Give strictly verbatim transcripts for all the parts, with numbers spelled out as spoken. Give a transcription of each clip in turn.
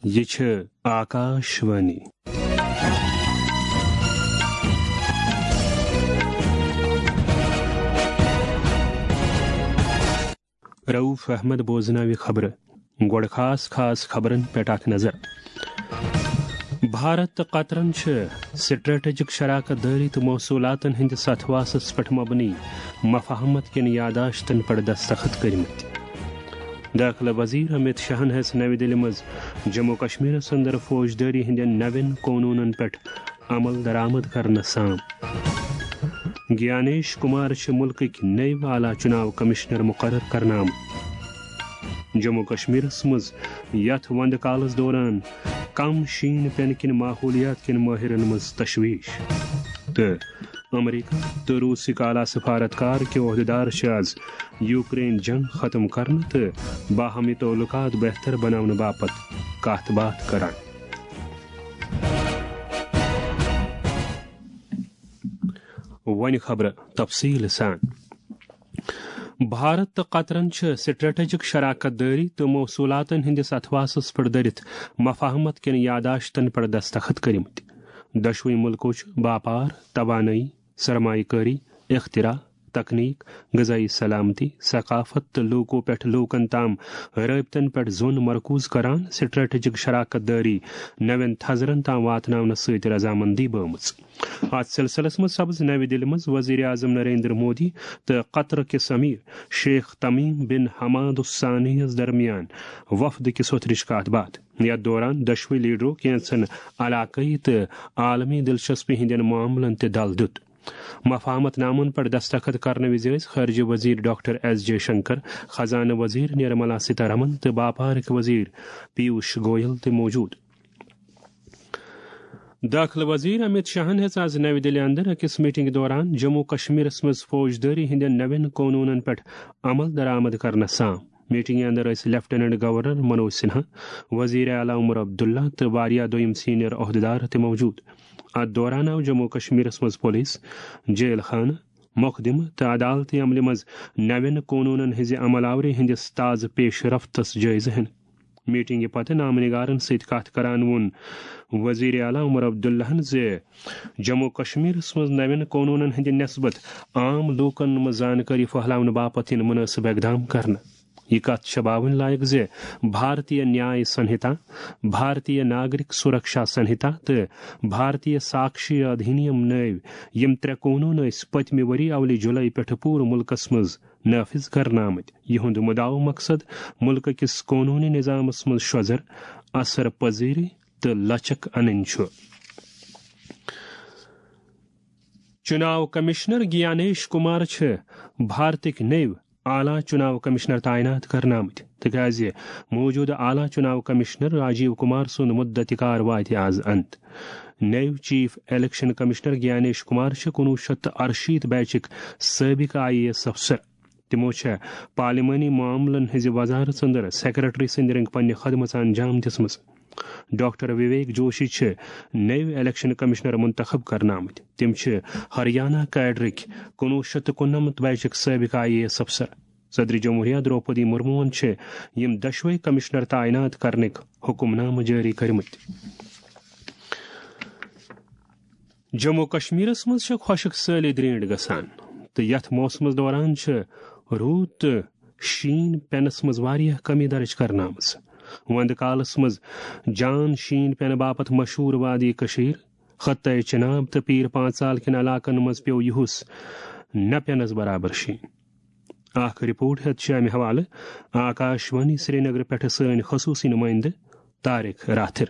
یہِ چھِ آکاش وانی۔ رؤف احمد بوزناوِ خبرٕ۔ گۄڈٕ خاص خاص خبرن پٮ۪ٹھ اکھ نظر۔ بھارت تہٕ قطرن چھِ سٹریٹجک شراکت دٲری تہٕ موصوٗلاتن ہٕنٛدِس اتھواسس پٮ۪ٹھ مبنی مفاہمت کٮ۪ن یادداشتن پٮ۪ٹھ دستخط کٔرمٕتۍ۔ دٲخلہٕ وزیر امت شاہن ہیٚژ نَوِ دِلہِ منٛز جموں کشمیرس اندر فوجدٲری ہٕنٛدٮ۪ن نوٮ۪ن قونوٗنن پٮ۪ٹھ عمل درآمد کرنہٕ سام۔ گیانیش کمار چھِ مُلکٕکۍ نٔوۍ اعلیٰ چُناو کمشنر مُقرر کرنہٕ آمٕتۍ۔ جموں کشمیرس منٛز یتھ وندٕ کالس دوران کم شیٖن پینہٕ کِنۍ ماحولیات کٮ۪ن مٲہرن منٛز تشویش۔ تہٕ امریکہ تہٕ روٗسٕکۍ اعلیٰ سفارتکار کہِ عہدیدار چھِ از یوکرین جنگ ختم کرنہٕ تہٕ باہمی تعلقات بہتر بناونہٕ باپتھ کتھ باتھ کران۔ وۄنۍ خبرٕ تفصیٖل سان۔ بھارت تہٕ قطرن چھِ سٹریٹجک شراکت دٲری تہٕ موصوٗلاتن ہٕنٛدِس اتھواسس پٮ۪ٹھ دٔرِتھ مفاہمت کٮ۪ن یادداشتن پٮ۪ٹھ دستخط کٔرمٕتۍ۔ دۄشوٕے مُلکو چھِ باپار، توانٲیی، سرمایہ کٲری، اختراع، تکنیک، غذائی سلامتی، ثقافت تہٕ لوٗکو پٮ۪ٹھ لوٗکن تام رٲبطن پٮ۪ٹھ زوٚن مرکوز کران سٹریٹجک شراکت دٲری نوٮ۪ن تھزرن تام واتناونس سۭتۍ رضامندی بٲومٕژ۔ اتھ سلسلس منٛز سپز نَوِ دِلہِ منٛز وزیر اعظم نریندر مودی تہٕ قطر کِس امیر شیخ تمیم بن حماد الثانی یَس درمیان وفد کِس وترٕچ کتھ باتھ۔ یتھ دوران دۄشوٕے لیڈرو کینژن علاقٲیی تہٕ عالمی دلچسپی ہٕنٛدٮ۪ن معاملن تہِ دل دیُت۔ مفاہمت نامن پٮ۪ٹھ دستخط کرنہٕ وِزِ ٲسۍ خارجہ وزیر ڈاکٹر ایس جے شنکر، خزانہٕ وزیر نرملا سیتارمن تہٕ باپارٕکۍ وزیر پیوش گویل تہِ موجود۔ دٲخلہٕ وزیر امت شاہن ہیٚژ از نَوِ دِلہِ اندر أکِس میٹنگ دوران جموں کشمیرس منٛز فوجدٲری ہٕنٛدٮ۪ن نوٮ۪ن قونوٗنن پٮ۪ٹھ عمل درآمد کرنس سام۔ میٹنگہِ اندر ٲسۍ لیفٹیننٹ گورنر منوج سنہا، وزیر اعلیٰ عمر عبداللہ تہٕ واریاہ دوٚیِم سینئر عہدیدار تہِ موجود۔ اتھ دوران آو جموں کشمیرس منٛز پولیس، جیل خانہٕ، مقدمہٕ تہٕ عدالتی عملہِ منٛز نوٮ۪ن قونوٗنن ہٕنٛزِ عمل آوری ہٕنٛدِس تازٕ پیش رفتس جٲیزٕ ہینہٕ۔ میٹنگہِ پتہٕ نامہ نگارن سۭتۍ کتھ کران ووٚن وزیر اعلیٰ عمر عبداللہن زِ جموں کشمیرس منٛز نوٮ۪ن قونوٗنن ہٕنٛدِ نسبت عام لوٗکن منٛز زانکٲری پھٔہلاونہٕ باپتھ یِن مناسب اقدام کرنہٕ۔ یہِ کتھ چھےٚ باونہٕ لایق زِ بھارتیہ نیاے سنہتا، بھارتیہ ناگرک سرکشا سنہتا تہٕ بھارتیہ ساکشی ادھینیم نٲوۍ یِم ترٛےٚ قونوٗن ٲسۍ پٔتمہِ ؤری اولہِ جُلای پٮ۪ٹھٕ پوٗرٕ مُلکس منٛز نافذ کرنہٕ آمٕتۍ۔ یِہُنٛد مُدعا و مقصد مُلکہٕ کِس قونوٗنی نظامس منٛز شۄزر، اثر پذیری تہٕ لچک انٕنۍ چھُ۔ چُناو کمشنر گیانیش کمار چھِ بھارتٕکۍ نٔوۍ اعلیٰ چُناو کمشنر تعینات کرنہٕ آمٕتۍ، تِکیازِ موجودٕ اعلیٰ چُناو کمشنر راجیو کمار سُنٛد مدت کار واتہِ از انت۔ نٔوۍ چیف الیکشن کمشنر گیانیش کمار چھِ کُنوُہ شیٚتھ تہٕ اَرشیٖتھ بیچٕکۍ سٲبقہٕ آئی اے ایس افسر۔ تِمو چھےٚ پارلیمانی معاملن ہٕنٛزِ وزارت اندر سیکرٹری سٕنٛدِ رنگہٕ پننہِ خدمژ انجام دِژمٕژ۔ ڈاکٹر وویک جوشی چھِ نٔوۍ الیکشن کمشنر منتخب کرنہٕ آمٕتۍ۔ تِم چھِ ہریانہ کیڈرٕکۍ کُنوُہ شیٚتھ تہٕ کُننمتھ بیچٕکۍ سٲبقہٕ آئی اے ایس افسر۔ صدر جمہوریہ درٛوپدی مرموہن چھِ یِم دۄشوے کمشنر تعینات کرنٕکۍ حکم نامہٕ جٲری کٔرمٕتۍ۔ جموں کشمیرس منٛز چھِ خۄشک سٲلی درینٹھ گژھان تہٕ یتھ موسمس دوران چھِ روٗد تہٕ شیٖن پینس منٛز واریاہ کمی درج کرنہٕ آمٕژ۔ وندٕ کالس منٛز جان شیٖن پینہٕ باپتھ مشہوٗر وادی کشیر، خطے چناب تہٕ پیٖر پانژال کٮ۪ن علاقن منٛز پیوٚو یُہُس نہ پینس برابر شیٖن۔ اکھ رپورٹ ہیتھ چھِ امہِ حوالہٕ آکاش وانی سرینگر پٮ۪ٹھٕ سٲنۍ خصوٗصی نُمٲیندٕ طارق راتھر۔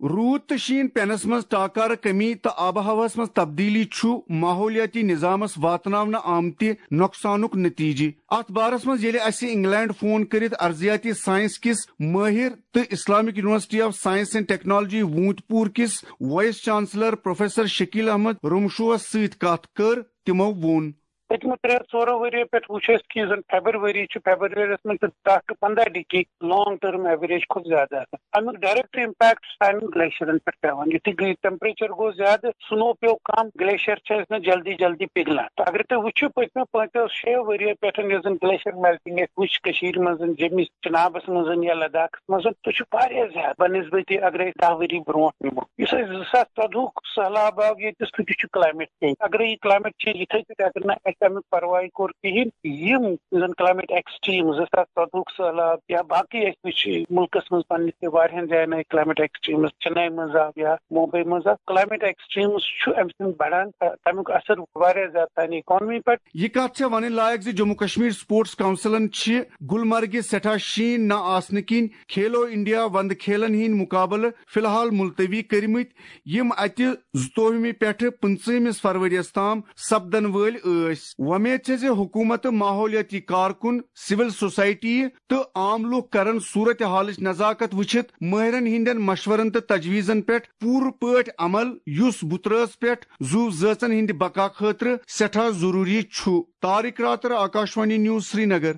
روٗد تہٕ شیٖن پینس منٛز ٹاکارٕ کمی تہٕ آب و ہوہس منٛز تبدیلی چھُ ماحولیٲتی نظامس واتناونہٕ آمتہِ نۄقصانُک نتیجہٕ۔ اتھ بارس منٛز ییٚلہِ اسہِ انگلینڈ فون کٔرِتھ ارضیاتی ساینس کِس مٲہِر تہٕ Islamic university of science and technology Awantipora کِس vice chancellor professor Shakeel Ahmad رمشوہس سۭتۍ کتھ کٔر، تِمو ووٚن۔ پٔتمہِ ترٛےٚ ژورو ؤرۍ یو پٮ۪ٹھ وٕچھ اَسہِ کہِ یُس زَن فیبرؤری چھُ، فیبرؤریَس منٛز چھُ دَہ to پنٛداہ ڈگری لانگ ٹٔرم ایوریج کھۄتہٕ زیادٕ آسان۔ اَمیُک ڈایریکٹ امپیکٹ چھُ سانٮ۪ن گلیشیرن پٮ۪ٹھ پٮ۪وان۔ یُتھُے ٹیمپریچر گوٚو زیادٕ، سنو پیوٚو کم، گلیشیر چھِ اَسہِ نہٕ جلدی جلدی پِگلان۔ تہٕ اگر تُہۍ وٕچھِو، پٔتمیو پانٛژو شیٚیو ؤرۍ یو پٮ۪ٹھ یُس زَن گلیشیر میلٹنگ اَسہِ وٕچھ کٔشیٖرِ منٛز، جیٚمِس چنابس منٛز یا لداخس منٛز، سُہ چھُ واریاہ زیادٕ بنسبتِ اگر أسۍ دَہ ؤری برونٛٹھ نِمو۔ یُس اَسہِ زٕ ساس ژۄدہُک سہلاب آو ییٚتہِ، سُہ تہِ چھُ کلایمیٹ چینج۔ اگر یہِ کلایمیٹ چینج یِتھے پٲٹھۍ اگر نہٕ اَسہِ اَمیُک پرواے کوٚر کِہیٖنۍ، یِم زَن کلایمیٹ ایکسٹریٖم زٕ ساس ژۄدہُک سہلاب یا باقٕے اَسہِ وٕچھ مُلکس منٛز پننِس تہِ واریاہن جاین آیہِ کلایمیٹ ایکسٹریٖمز، چنئی منٛز آو یا ممبئی منٛز آو، کلایمیٹ ایکسٹریٖمز چھُ اَمہِ سۭتۍ بڑان، تہٕ تَمیُک اثر واریاہ زیادٕ سانہِ اکانمی پٮ۪ٹھ۔ یہِ کتھ چھےٚ ونٕنۍ لایق زِ جموں کشمیر سپورٹس کونسلن چھِ گلمرگہِ سٮ۪ٹھاہ شیٖن نہ آسنہٕ کِنۍ کھیلو انڈیا وندٕ کھیلن ہٕنٛدۍ مقابلہٕ فی الحال ملتوی کٔرمٕتۍ، یِم اتہِ زٕتووُہمہِ پٮ۪ٹھٕ پٕنٛژٕہمِس فرؤریَس تام سپدن وٲلۍ ٲسۍ۔ وۄمید چھےٚ زِ حکوٗمت، ماحولیٲتی کارکُن، سول سوسائٹی تہٕ عام لوٗکھ کرن صورت حالٕچ نزاکت وٕچھِتھ مٲہرن ہٕنٛدٮ۪ن مشورن تہٕ تجویزن پٮ۪ٹھ پوٗرٕ پٲٹھۍ عمل، یُس بُترٲژ پٮ۪ٹھ زُو زٲژن ہٕنٛدِ بقا خٲطرٕ سٮ۪ٹھاہ ضروٗری چھُ۔ طارق راتر، آکاشوانی نیوز، سرینگر۔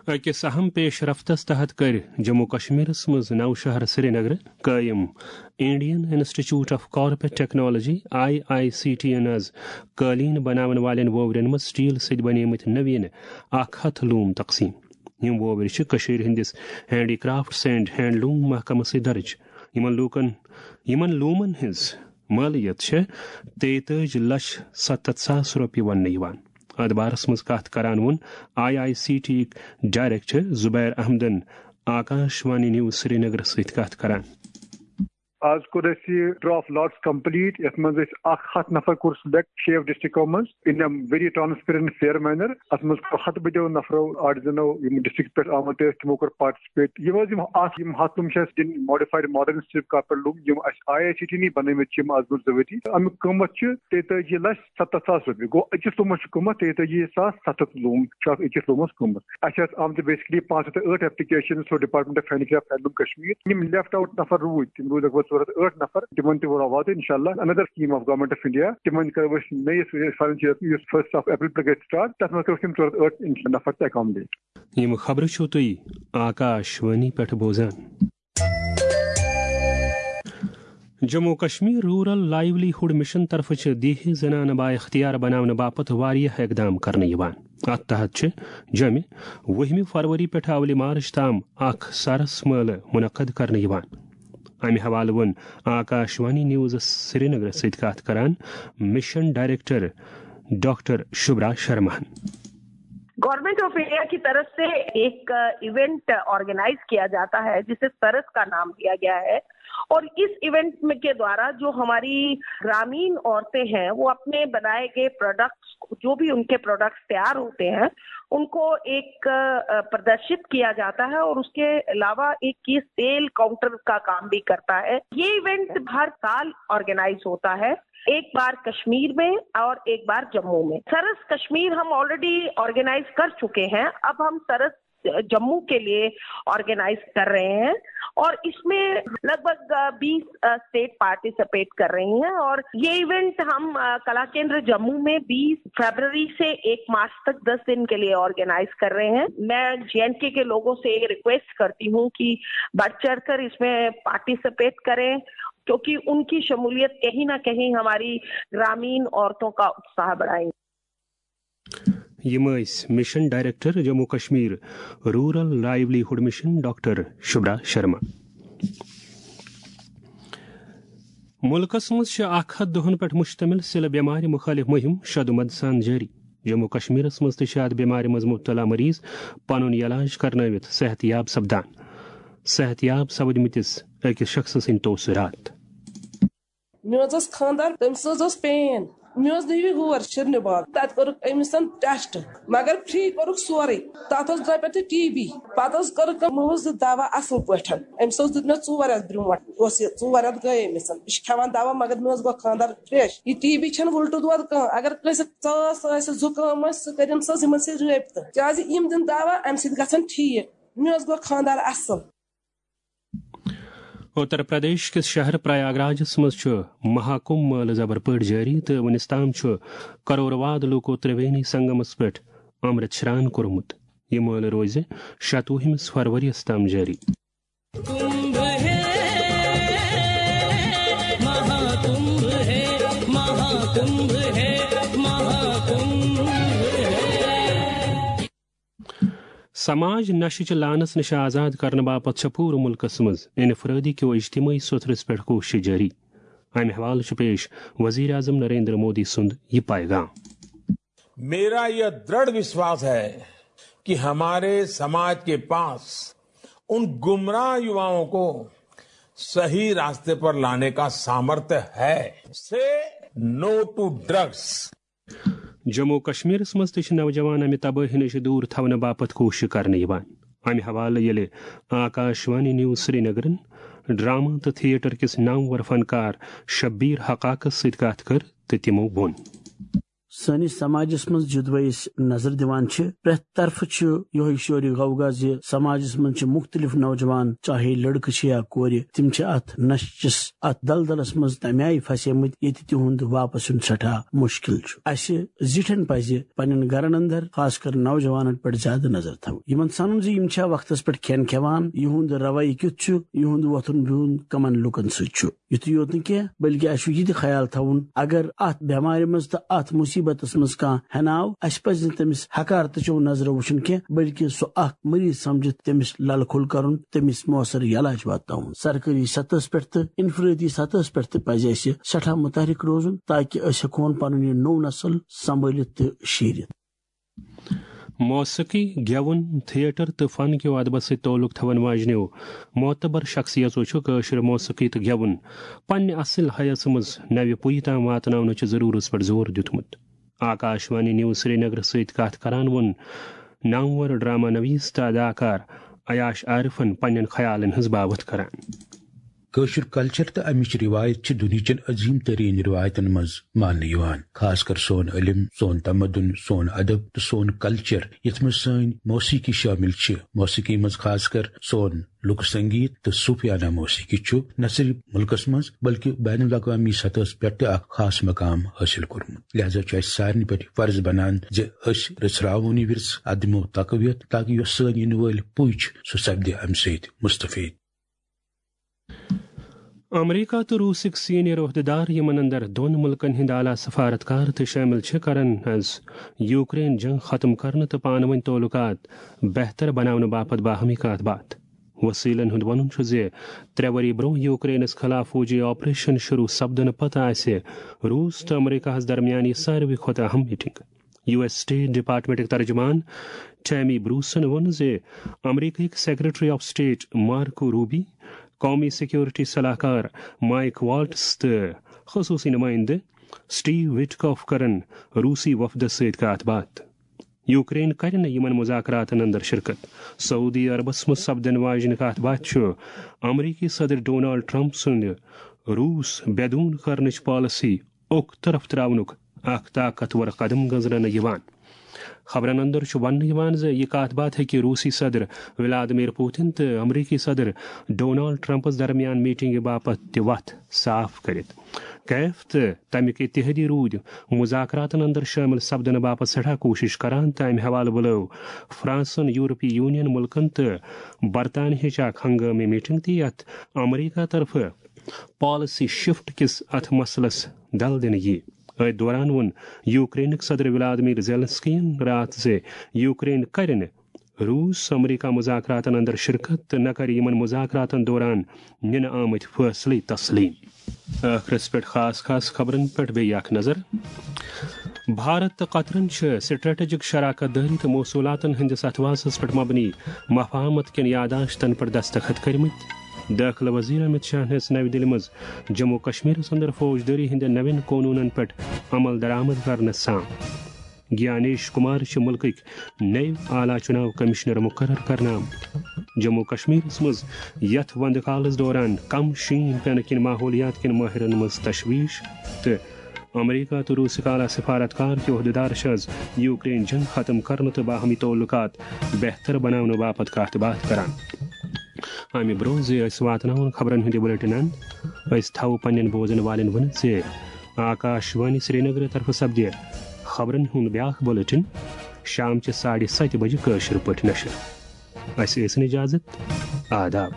أکِس اہم پیش رفتس تحت کٔرۍ جموں کشمیرس منٛز نوشہر سرینگر قٲیِم Indian institute of carpet technology, I I C T, یَن آز قٲلیٖن بناون والٮ۪ن ووورٮ۪ن منٛز سٹیل سۭتۍ بنیمٕتۍ نوین اکھ ہتھ لوم تقسیٖم۔ یِم ووورِ چھِ کٔشیٖرِ ہٕنٛدِس ہینڈی کرافٹس اینڈ ہینڈلوم محکمس سۭتۍ درٕج۔ یِمن لوٗکن، یِمن لوٗمن ہٕنٛز مٲلیت چھےٚ تیتٲجی لچھ ستتھ ساس رۄپیہِ وننہٕ یِوان۔ اتھ بارس منٛز کتھ کران ووٚن آئی آئی سی ٹی یِک ڈائریکٹر زبیر احمدن آکاش وانی نیوز سرینگرس سۭتۍ کتھ کران۔ آز کوٚر اَسہِ یہِ ڈرا آف لاٹس کمپلیٹ، یَتھ منٛز اَسہِ اکھ ہتھ نفر کوٚر سلیکٹ شیٚیو ڈسٹرکٹو منٛز in a very transparent fair manner۔ اَتھ منٛز کوٚر ہتہٕ بٔدیو نفرو، آرٹیزنو، یِم ڈسٹرکٹ پٮ۪ٹھ آمٕتۍ ٲسۍ، تِمو کوٚر پارٹیسپیٹ۔ یِم حظ یِم اَتھ، یِم ہتھ لوٗم چھِ اَسہِ دِنۍ ماڈیفایڈ ماڈرن سٹیپ کارپیٹ لوٗم، یِم اَسہِ آئی آئی سی ٹی نٕے بنٲومٕتۍ چھِ یِم آز برونٛٹھ زٕ ؤری۔ اَمیُک قۭمتھ چھُ تیتٲجی لچھ ستتھ ساس رۄپیہِ۔ گوٚو أکِس لوٗمس چھُ قۭمتھ تیتٲجی ساس ستتھ لوٗم چھُ اَتھ أکِس لوٗمس قۭمتھ۔ اَسہِ آسہٕ آمژٕ basically پانٛژھ ہتھ تہٕ ٲٹھ application through department of handy craft handloom Kashmir. یِم لیفٹ آوُٹ نفر روٗدۍ، تِم روٗدۍ لگ بھگ ژور ہتھ ٲٹھ نفر۔ تِمن تہِ ووت واتہٕ انشاءاللہ۔ Another scheme of government of India، تِمن کرو أسۍ نٔیِس فنڈس یُس first of April پٮ۪ٹھ گژھِ start، تتھ منٛز کرو أسۍ یِم ژور ہتھ ٲٹھ نفر تہِ accommodate۔ یِم خبرٕ چھِو تُہۍ آکاش وانی پٮ۪ٹھ بوزان۔ Jammu Kashmir rural livelihood mission طرفہٕ چھِ دیہی زنانہٕ بااختیار بناونہٕ باپتھ واریاہ اقدام کرنہٕ یِوان۔ اتھ تحت چھِ جوٚمہِ وُہمہِ فروری پٮ۪ٹھٕ اولہِ مارچ تام اکھ سرس مٲلہٕ منعقد کرنہٕ یِوان۔ امہِ حوالہٕ ووٚن آکاش وانی نیوزس سرینگرس سۭتۍ کتھ کران مِشن ڈائریکٹر ڈاکٹر شبرا شرماہن۔ گورنمنٹ آف انڈیا کی طرف سے ایک ایونٹ آرگنائز کیا جاتا ہے جسے سرس کا نام دیا گیا ہے، اور اس ایونٹ میں کے دوارا جو ہماری گرامین عورتیں ہیں وہ اپنے بنائے گئے پروڈکٹس، جو بھی ان کے پروڈکٹس تیار ہوتے ہیں، ان کو ایک پردرشت کیا جاتا ہے اور اس کے علاوہ ایک یہ سیل کاؤنٹر کا کام بھی کرتا ہے۔ یہ ایونٹ ہر سال آرگنائز ہوتا ہے، ایک بار کشمیر میں اور ایک بار جموں میں۔ سرس کشمیر ہم آلریڈی آرگنائز کر چکے ہیں، اب ہم سرس جموں کے لیے آرگنائز کر رہے ہیں اور اس میں لگ بھگ بیس اسٹیٹ پارٹیسپیٹ کر رہی ہیں اور یہ ایونٹ ہم کلا کیندر جموں میں بیس فیبرری سے ایک مارچ تک دس دن کے لیے آرگنائز کر رہے ہیں۔ میں جے اینڈ کے کے لوگوں سے ریکویسٹ کرتی ہوں کہ بڑھ چڑھ کر اس میں پارٹیسپیٹ کریں، کیونکہ ان کی شمولیت کہیں نہ کہیں ہماری گرامین عورتوں کا اتساہ بڑھائیں۔ یِم ٲسۍ mission director Jammu Kashmir rural livelihood mission doctor Shubhra Sharma. مُلکَس منٛز چھِ اکھ ہتھ دۄہَن پٮ۪ٹھ مُشتمِل سِلہٕ بٮ۪مارِ مُخٲلِف مُہِم شدوٗمد سان جٲری۔ جموں کشمیرَس منٛز تہِ چھِ اَتھ بٮ۪مارِ منٛز مُبتلا مریض پنُن علاج کرنٲوِتھ صحت یاب سپدان۔ صحت یاب سپدمٕتِس أکِس شخصہٕ سٕنٛدۍ توسہٕ راتھ۔ مےٚ حظ ٲس خانٛدار، تٔمِس حظ ٲس پین۔ مےٚ حظ نیوٗ یہِ ہور شیرنہِ باغ۔ تَتہِ کوٚرُکھ أمِس ٹیسٹ، مگر فری کوٚرُکھ سورُے۔ تَتھ اوس درٛاو پٮ۪ٹھٕ ٹی بی۔ پَتہٕ حظ کوٚرُکھ أمۍ، یِمو حظ دیُت دوا اَصٕل پٲٹھۍ۔ أمِس اوس دیُتمُت ژور رٮ۪تھ برونٛٹھ، اوس یہِ ژور رٮ۪تھ گٔیے أمِس۔ یہِ چھِ کھٮ۪وان دوا، مگر مےٚ حظ گوٚو خانٛدار فریش۔ یہِ ٹی بی چھَنہٕ وُلٹہٕ دود کانٛہہ۔ اگر کٲنٛسہِ ژاس آسہِ، زُکام آسہِ، سُہ کٔرِنۍ سا أمِس سۭتۍ رٲبطہٕ۔ کیٛازِ یِم دِن دوا، اَمہِ سۭتۍ گژھن ٹھیٖک۔ مےٚ حظ گوٚو خانٛدار اَصٕل۔ اتر پردیش کِس شہر پریاگ راجس منٛز چھُ مہاکمبھ مٲلہٕ زبر پٲٹھۍ جٲری تہٕ وُنِس تام چھُ کرور واد لوٗکو ترٛوینی سنگمس پٮ۪ٹھ امرت شران کوٚرمُت۔ یہِ مٲلہٕ روزِ شَتوُہمِس فروریَس تام جٲری۔ کمبھ ہے، مہاکمبھ ہے، مہاکمبھ ہے، مہاکمبھ ہے۔ سماج نشہٕ چہِ لعنتہٕ نِش آزاد کرنہٕ باپتھ چھےٚ پوٗرٕ مُلکَس منٛز انفرٲدی کیو اجتمٲعی سوٚتھرَس پٮ۪ٹھ کوٗشش جٲری۔ امہِ حوالہٕ چھُ پیش وزیر اعظم نریندر مودی سُنٛد یہِ پیغام۔ मेरा यह दृढ़ विश्वास है कि हमारे समाज के पास उन गुमराह युवाओं को सही रास्ते पर लाने का सामर्थ्य है। से नो टू ड्रग्स। جموں و کشمیرس منٛز تہِ چھِ نوجوان امہِ تبٲہی نِش دوٗر تھاونہٕ باپتھ کوٗشش کرنہٕ یِوان۔ امہِ حوالہٕ ییٚلہِ آکاشوانی نیوز سرینگرن ڈرامہ تہٕ تھیٹر کِس نامور فنکار شبیر حقاقس سۭتۍ کتھ کٔر تہٕ تِمو ووٚن۔ سٲنِس سماجس منٛز یوٚدوے أسۍ نظر دِوان چھِ، پرٛٮ۪تھ طرفہٕ چھُ یِہوٚے شورِ غوغا زِ سماجس منٛز چھِ مُختٔلِف نوجوان، چاہے لڑکہٕ چھِ یا کورِ، تِم چھِ اتھ نشہٕ چِس اتھ دلدلس منٛز تمہِ آیہِ پھسیمٕتۍ ییٚتہِ تِہُنٛد واپس یُن سٮ۪ٹھاہ مُشکِل چھُ۔ اسہِ زِٹھٮ۪ن پزِ پننٮ۪ن گرن اندر، خاص کر نوجوانن پٮ۪ٹھ زیادٕ نظر تھاوٕنۍ، یِمن سنُن زِ یِم چھا وقتس پٮ۪ٹھ کھٮ۪ن کھٮ۪وان، یِہُنٛد رویہِ کیُتھ چھُ، یِہُنٛد وۄتھُن بِہُن کمن لُکن سۭتۍ چھُ۔ یُتُے یوت نہٕ کینٛہہ، بلکہِ اسہِ چھُ یہِ تہِ خیال تھاوُن، اگر اتھ بٮ۪مارِ منٛز تہٕ اتھ مُصیبتس منٛز کانٛہہ ہٮ۪ناو، اسہِ پزِ نہٕ تٔمِس حقارتہٕ چیو نظرو وٕچھُن کینٛہہ، بلکہِ سُہ اکھ مریض سمجھِتھ تٔمِس للہٕ کھول کرُن، تٔمِس مؤثر علاج واتناوُن۔ سرکٲری سطحس پٮ۪ٹھ تہٕ انفرٲدی سطحس پٮ۪ٹھ تہِ پزِ اسہِ سٮ۪ٹھاہ متحرک روزُن، تاکہِ أسۍ ہٮ۪کہون پنُن یہِ نوٚو نسل سنبھٲلِتھ تہٕ شیٖرِتھ۔ موسیقی، گٮ۪وُن، تھیٹر تہٕ فن کیو ادبس سۭتۍ تعلق تھاون واجنیو معتبر شخصیژو چھُ کٲشِر موسیقی تہٕ گٮ۪وُن پننہِ اصل حیث منٛز نوِ پُیہِ تام واتناونٕچہِ ضرورتس پٮ۪ٹھ زور دیُتمُت۔ آکاشوانی نیوز سرینگرس سۭتۍ کتھ کران ووٚن نامور ڈرامہ نویس تہٕ اداکار عیاش عارفن پننٮ۪ن خیالن ہٕنٛز باوتھ کران۔ کٲشُر کلچر تہٕ امِچ رِوایت چھِ دُنہِچٮ۪ن عظیٖم تریٖن رِوایتن منٛز ماننہٕ یِوان۔ خاص کر سون علم، سون تمدُن، سون ادب تہٕ سون کلچر، یتھ منٛز سٲنۍ موسیقی شٲمِل چھِ۔ موسیقی منٛز خاص کر سون لُکہٕ سنگیت تہٕ صوفیانہ موسیقی چھُ نہ صرف مُلکس منٛز بلکہِ بین الاقوامی سطحس پٮ۪ٹھ تہِ اکھ خاص مقام حٲصِل کوٚرمُت۔ لہذا چھُ اسہِ سارنٕے پٮ۪ٹھ یہِ فرض بنان زِ أسۍ رژھراوون یہِ ورثہٕ، ادمو تقویت، تاکہِ یۄس سٲنۍ یِنہٕ وٲلۍ پُے چھِ، سُہ سپدِ امہِ سۭتۍ مستفید۔ امریکہ تہٕ روسٕکۍ سینئر عہدیدار، یِمن اندر دۄن مُلکن ہٕنٛدۍ اعلیٰ سفارتکار تہِ شٲمِل چھِ، کرن از یوکرین جنگ ختم کرنہٕ تہٕ پانہٕ ؤنۍ تعلقات بہتر بناونہٕ باپتھ باہمی کتھ باتھ۔ وسیلن ہُنٛد وَنُن چھُ زِ ترٛےٚ ؤری برٛونٛہہ یوکرینس خلاف فوجی آپریشن شروع سپدنہٕ پتہٕ آسہِ روس تہٕ امریکہ ہَس درمیان یہِ ساروی کھۄتہٕ اہم میٹنگ۔ یو ایس سٹیٹ ڈپارٹمنٹٕکۍ ترجمان ٹیمی بروسن ووٚن زِ امریکہٕکۍ secretary of state Marco Rubio, قومی سیکیورٹی صلاح کار مائیک والٹز تہٕ خصوصی نمائندٕ سٹیو وٹکاف کرن روسی وفدس سۭتۍ کتھ باتھ۔ یوکرین کرِ نہٕ یِمن مذاکراتن اندر شرکت۔ سعودی عربس منٛز سپدن واجنہِ کتھ باتھ چھُ امریکی صدر ڈونالڈ ٹرمپ سٕنٛدِ روس بے دون کرنٕچ پالیسی اوٚک طرف تراونُک اکھ طاقتور قدم گنزرنہٕ یِوان۔ خبرن اندر چھُ وننہٕ یِوان زِ یہِ کتھ باتھ ہیٚکہِ روسی صدر ولادیمیر پوتن تہٕ امریکی صدر ڈونالڈ ٹرمپس درمیان میٹنگہِ باپتھ تہِ وتھ صاف کٔرِتھ۔ کیف تہٕ تمیُک اتحادی روٗدۍ مذاکراتن اندر شٲمِل سپدنہٕ باپتھ سٮ۪ٹھاہ کوٗشش کران تہٕ امہِ حوالہٕ بُلٲو فرانسن یورپی یونین مُلکن تہٕ برطانیہٕچ اکھ ہنگٲمی میٹنگ تہِ، یتھ امریکہ طرفہٕ پالیسی شفٹ کِس اتھ مسلس دل دِنہٕ یِیہِ۔ أتھۍ دوران ووٚن یوکرینٕکۍ صدر ولادیمیر زیلنسکیَن راتھ زِ یوکرین کرِ نہٕ روٗس امریکہ مذاکراتن اندر شرکت تہٕ نہ کرِ یِمن مذاکراتن دوران نِنہٕ آمٕتۍ فٲصلہٕ تسلیم۔ ٲخرس پٮ۪ٹھ خاص خاص خبرن پٮ۪ٹھ بیٚیہِ اکھ نظر۔ بھارت تہٕ قطرن چھِ سٹریٹجک شراکت دٲری تہٕ موصوٗلاتن ہٕنٛدِس اتھواسس پٮ۪ٹھ مبنی مفاہمت کٮ۪ن یاداشتن پٮ۪ٹھ دستخط کٔرمٕتۍ۔ دٲخلہٕ وزیر امت شاہن ہیٚژ نَوِ دِلہِ منٛز جموں و کشمیرس اندر فوجدٲری ہٕنٛدٮ۪ن نوٮ۪ن قونوٗنن پٮ۪ٹھ عمل درآمد کرنس سان۔ گیانیش کمار چھِ مُلکٕکۍ نٔوۍ اعلیٰ چُناو کمشنر مُقرر کرنہٕ آمٕتۍ۔ جموں و کشمیرس منٛز یتھ وندٕ کالس دوران کم شیٖن پینہٕ کِنۍ ماحولیات کٮ۪ن مٲہرن منٛز تشویش تہٕ امریکہ تہٕ روسٕکۍ اعلیٰ سفارتکار تہٕ عہدیدار چھِ از یوکرین جنگ ختم کرنہٕ تہٕ باہمی تعلقات بہتر بناونہٕ باپتھ کتھ باتھ کران۔ امہِ برونٛہہ زِ أسۍ واتناوون خبرن ہُنٛد یہِ بلیٹن اند، أسۍ تھاوو پننٮ۪ن بوزن والٮ۪ن ؤنِتھ زِ آکاش وانی سرینگر طرفہٕ سپدِ خبرن ہُنٛد بیاکھ بلیٹن شام چہِ ساڑِ ستہِ بجہِ کٲشِر پٲٹھۍ نشر۔ اسہِ ٲسِن اجازت۔ آداب۔